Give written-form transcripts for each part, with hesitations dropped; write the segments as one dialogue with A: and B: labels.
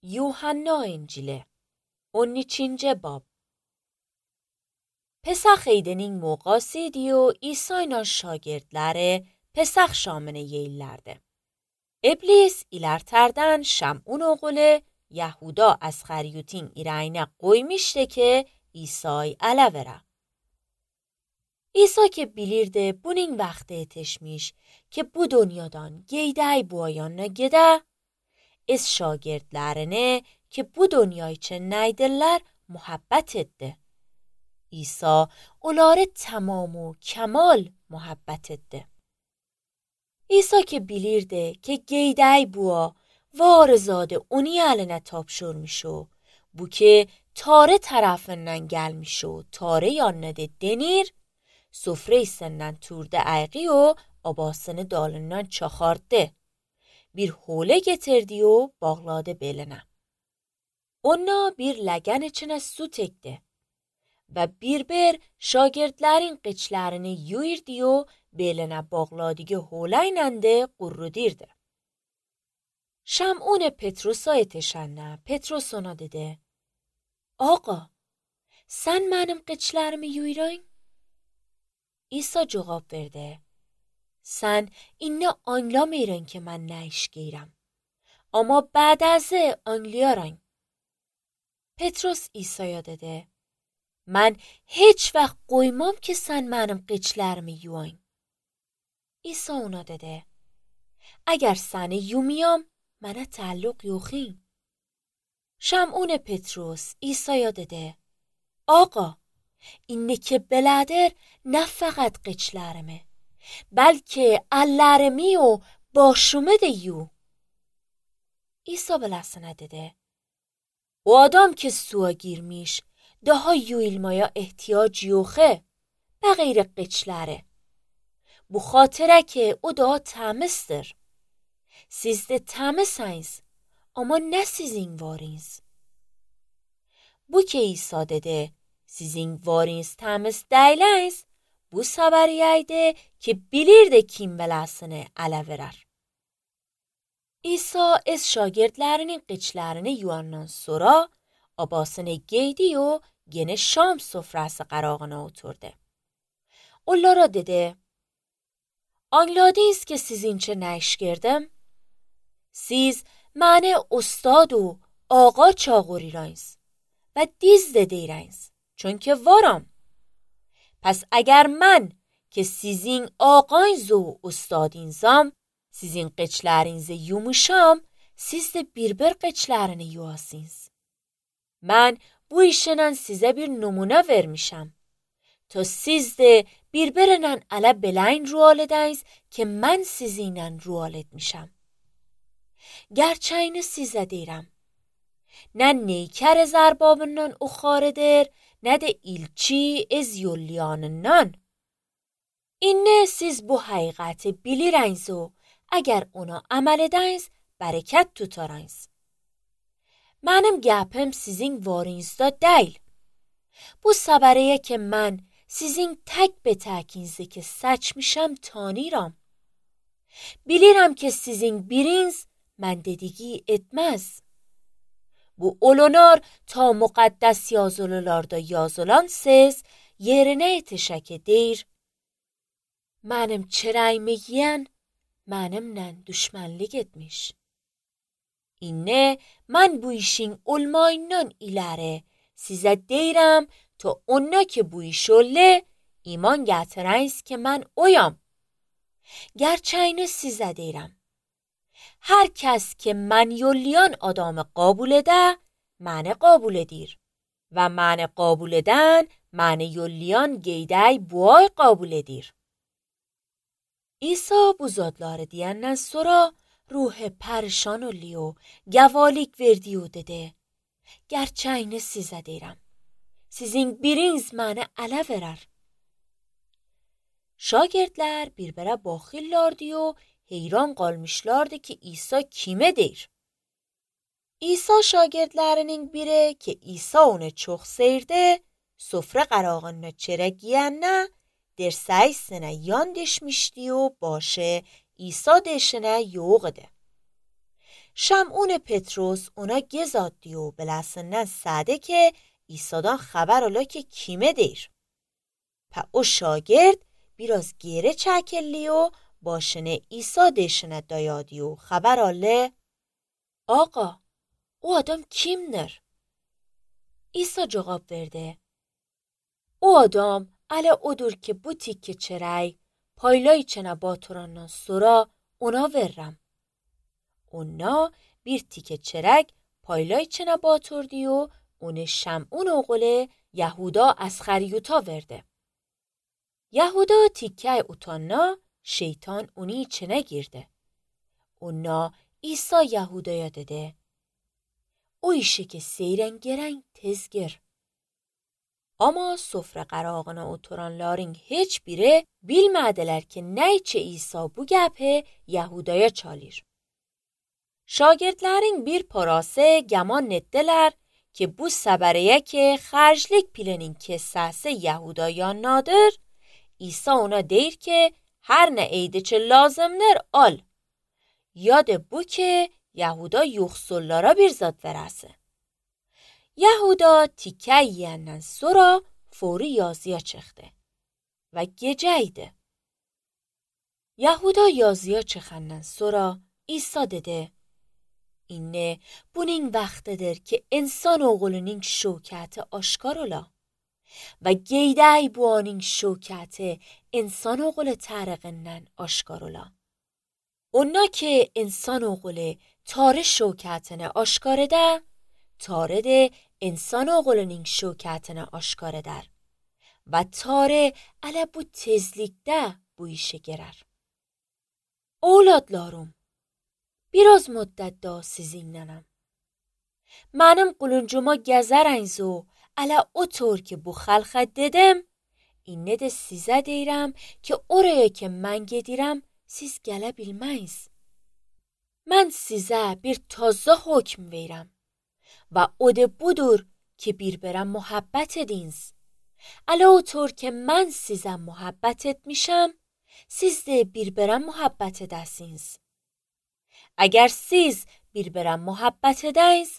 A: Yuhanna İncili 12. bab. Pesach eydenin muğası diyor İsa ile şagirdleri Pesach şamını yeyirlerdi. İblis ilerterden Şam'un oğlu Yahuda Askariyut'in irayine koymuştu ki İsa'yı ele vere. İsa ki bilirdi bunun vakti yetişmiş ki bu dünyadan geyday bu ayağına gide, از شاگردلرine که bu dünya için neydirler muhabbet etti. İsa onları tamamı kemal muhabbet etti. İsa ki bilirdi ki geyday bu varızadı onu eline tapşırmışu. Bu ki tare tarafından gelmişu tare yanına de denir, sofre senden turda ayqi و abasını dalından çakardı. Bir hole getirdi و bağladı beline. Ona bir legen içine su tekti ve bir şagirdlerin qıçlarını yuyurdu و beline bağladığı holeyle de qurrudirdi. Şam'un Petrus'a yetişene Petrus ona dedi: Ağa, sen benim qıçlarımı yuyurayın? İsa cevap verdi: Sen اینه anlamıyorum ki ben ne iş giyirem. Ama بعد از anlıyorum. Petrus İsa'ya dedi: من hiç vaqt qoymam ki sen benim qıçlarımı yuyayın. İsa ona dedi: اگر seni yumuyam, mənə تعلق yoxin. Şam'un Petrus İsa'ya dedi: Ağa, اینه ki belədir, نه فقط qıçlarımı, بلکه ellerimi و başımı da yu. İsa beləsinə dedi: O adam ki suya girmiş, daha yuyulmaya ihtiyac yoxu, بغیر qıçları. Bu xatirə ki o daha təmizdir. Siz de təmizsiniz, ama ne sizin varınız. Bu ki İsa dedi: Sizin varınız təmiz deyləniz, bu səbəriyyəydi ki bilirdi kim beləsini ələ verər. İsa az şagirdlərinin qıçlarını yuyandan sonra abasını giydi و gene şam sofrası qarağına oturdu. Onlara dedi: Anladınız ki sizin için ne iş girdim? Siz məni ustad و ağa çağırırsınız ve diz de deyirsiniz, çünkü varım. Pes eğer mən ki sizin ağayınız و ustadınızam, sizin qıçlarınızı yumuşam, siz de bir qıçlarını yuyasınız. Mən bu işlə size bir numune vermişəm. Ta siz de birbirinden ələ beləyin ruhal edəyiz ki mən sizinlə ruhal etmişəm. Gerçeğini size deyirəm. Nə neykər az ərbabından o xarıdır, nə də ilçi az yolliyanından. İnne siz bu həqiqəti bilirsiniz و اگر ona əməl edəyiz, bərəkət tutarınız. Mənim gəpim sizin varınızda deyil. Bu səbəriyə ki mən sizin tək be təkinizi ki seçmişəm tanıyıram. Bilirəm ki sizin biriniz mən dediği etmez. Bu olunar ta müqəddəs yazılılarda yazılan siz yerine yetişək edir. Mənim çirəyimi yiyən mənimlə düşmənlik etmiş. İnne mən bu işin olmayından iləri sizə deyirəm ta ona ki bu iş olle iman gətirəyiz ki mən oyam. Gerçeğini sizə deyirəm. Hər kəs ki mən yolliyan adamı qabul edə, məni qabul edir. Və məni qabul edən, məni yolliyan geyday buay qabul edir. İsa bu zadları deyəndən sonra ruh perişan oldu و گوالیک verdi و dedi: Gerçeğini sizə deyirəm. Sizin biriniz məni ələ verər. Şagirdlər bir-birə baxırlardı و heyran qalmışlardı ki İsa kime deyir. İsa şagirdlərinin biri ki İsa onu çox sevdi, sofra qarağına çörək yeyəndə dirsəyisinə yan düşmüşdü و başı İsa deşinə yox idi. Şamun Petrus ona gezad diyor belasından sade که İsa'dan haber ola ki kime deyir. Pa o şagird biraz geri çekildi و başını İsa deşine dayadı و haber ola آقا o adam kimdir؟ İsa cevap verdi. O adam ala odur ki bu tikke çeray paylayı çene batırandan sonra ona veririm. Ona bir tikke çerek paylayı çene batırdı و onu شمعون oğlu Yahuda اسخریوتا verdi. Yahuda tikke utanna şeytan onu içine girdi. Ona İsa Yahuda'ya dedi. O işi ki seyren geren tez gir. Ama sofra qarağına oturanların heç biri bilmədilər ki, nəyçə İsa bu gəpi Yahudaya çalır. Şagirdlərin bir parası gəman etdilər ki, bu səbəriyə ki, xərclik pilinin kessəsi Yahudayannadır, İsa ona deyir ki, hər nə eydi ki lazımdır, al. Yadı bu ki, Yahuda yoxsullara bir zad verəsi. Yahuda tikke yiyenden sonra fori yazıya çıktı ve geceydi. Yahuda yazıya çıkandan sonra İsa dedi, اینه bunun vaxtıdır ki insan oğlunun şökəti aşkar ola ve geyday bu anın şökəti insan oğlu tərəqindən aşkar ola. Ona ki insan oğlu tarı şökətini aşkar ede, تاره انسان oğlunun şökətini aşkar eder ve tare ala bu tezlikte bu işe girer. Oğladlarım, biraz müddet daha sizinlenim. Benim quluncuma gezeriniz و ala o طور ki bu xalqa dedim, اینه de size deyirəm ki oraya ki mən gedirəm siz gələ bilməyiz. Mən sizə bir taze hükm verirəm. و o de budur که birbirem محبت ediniz. علاوه که من sizə محبت etmişəm, siz de birbirem محبت edəsiniz. Əgər siz birbirem محبت edəyiz,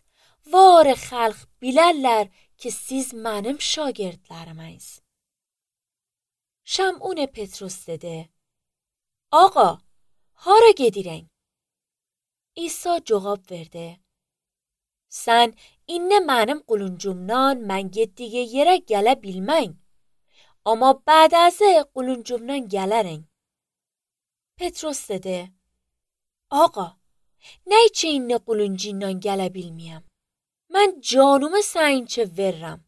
A: var xalq bilərlər ki siz mənim şagirdləriməyiniz. شمعون Petrus dedi, Ağa, hara gedirən? İsa cavab verdi, Sən inne mənim quluncumdan mən getdiyi yerə gələ bilməyin, amma bədəzi quluncumdan gələrən. Petrus dedi, Ağa, nə üçün inne quluncundan gələ bilməyəm? Mən canımı sənin üçün verirəm.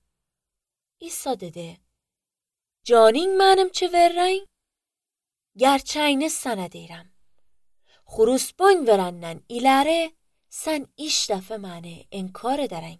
A: İsa dedi, Canin mənim üçün verirən? Gerçəyini sənə deyirəm. Xurusboyn verəndən iləri sən iş dəfə məni inkar edərən.